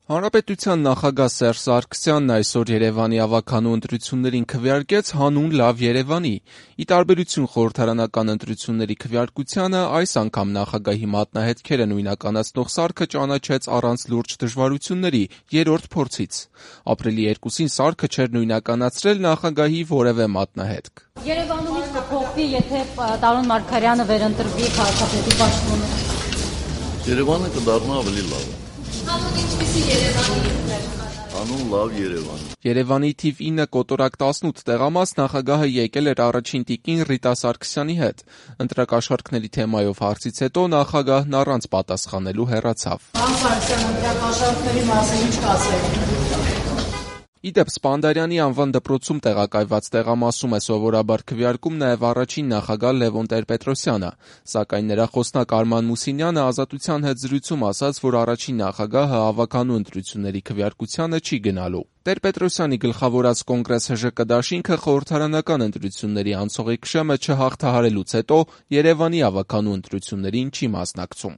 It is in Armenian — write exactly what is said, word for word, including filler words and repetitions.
Հանրապետության նախագահ Սերժ Սարգսյանն այսօր Երևանի ավագանու ընտրություններին քվեարկեց հանուն «Լավ Երևանի»։ Ի տարբերություն խորհրդարանական ընտրությունների քվեարկությանը, այս անգամ նախագահի մատնահետքերը նույնականացնող սարքը ճանաչեց առանց լուրջ դժվարությունների՝ երրորդ փորձից։ Ապրիլի երկուսին սարքը չէր նույնականացրել նախագահի որևէ մատնահետք։ Երևանում ինչ կփոխվի, եթե Տարոն Մարգարյանը վերընտրվի քաղաքապետի պաշտոնը։ Երևանը կդառնա ավելի լավ։ Հանուն ինչպիսի Երևանի։ Հանուն «Լավ Երևանի»։ Երևանի թիվ ինը կոտորակ տասնութ տեղամաս նախագահը եկել էր առաջին տիկին Ռիտա Սարգսյանի հետ։ Ընտրակաշառքների թեմայով հարցից հետո նախագահն առանց պատասխանելու հեռացավ։ Պարոն Սարգսյան, ընտրակաշառքների մասին ինչ կասեք։ Ի դեպ, Սպանդարյանի անվան դպրոցում տեղակայված տեղամասում է սովորաբար քվեարկում նաև առաջին նախագահ Լևոն Տեր-Պետրոսյանը, սակայն նրա խոսնակ Արման Մուսինյանը «Ազատության» հետ զրույցում ասաց, որ առաջին նախագահը ավագանու ընտրությունների քվեարկությանը չի գնալու։ Տեր-Պետրոսյանի գլխավորած Կոնգրես ՀԺԿ դաշինքը խորհրդարանական ընտրությունների անցողիկ շեմը չհաղթահարելուց հետո Երևանի ավագանու ընտրություններին չի մասնակցում։